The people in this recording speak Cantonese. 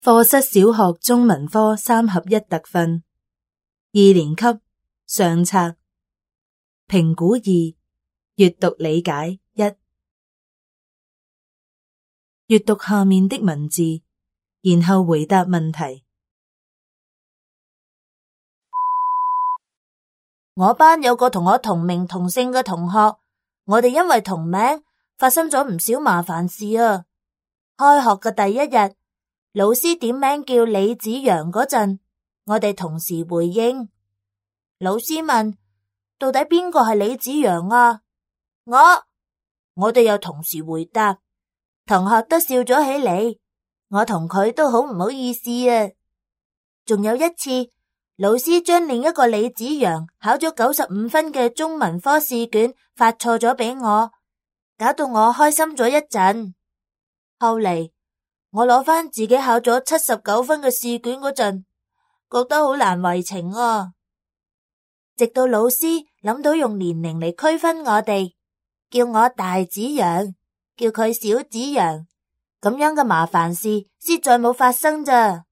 課室小學中文科3合1特訓2年級上冊評估2閱讀理解1閱讀下面的文字，然後回答問題。我班有個同我同名同姓嘅同學，我哋因為同名發生咗唔少麻煩事啊。開學嘅第一日，老師點名叫李子陽嗰陣，我哋同時回應。老師問：到底邊個係李子陽啊？我哋又同時回答，同學都笑咗起嚟。我同佢都好唔好意思啊。仲有一次，老師將另一個李子陽考咗95分嘅中文科試卷發錯咗俾我，搞到我開心咗一陣。後嚟我攞翻自己考咗79分嘅試卷嗰陣，覺得好難為情啊。直到老師諗到用年齡嚟區分我哋，叫我大子陽，叫佢小子陽，咁樣嘅麻煩事先再冇發生咋。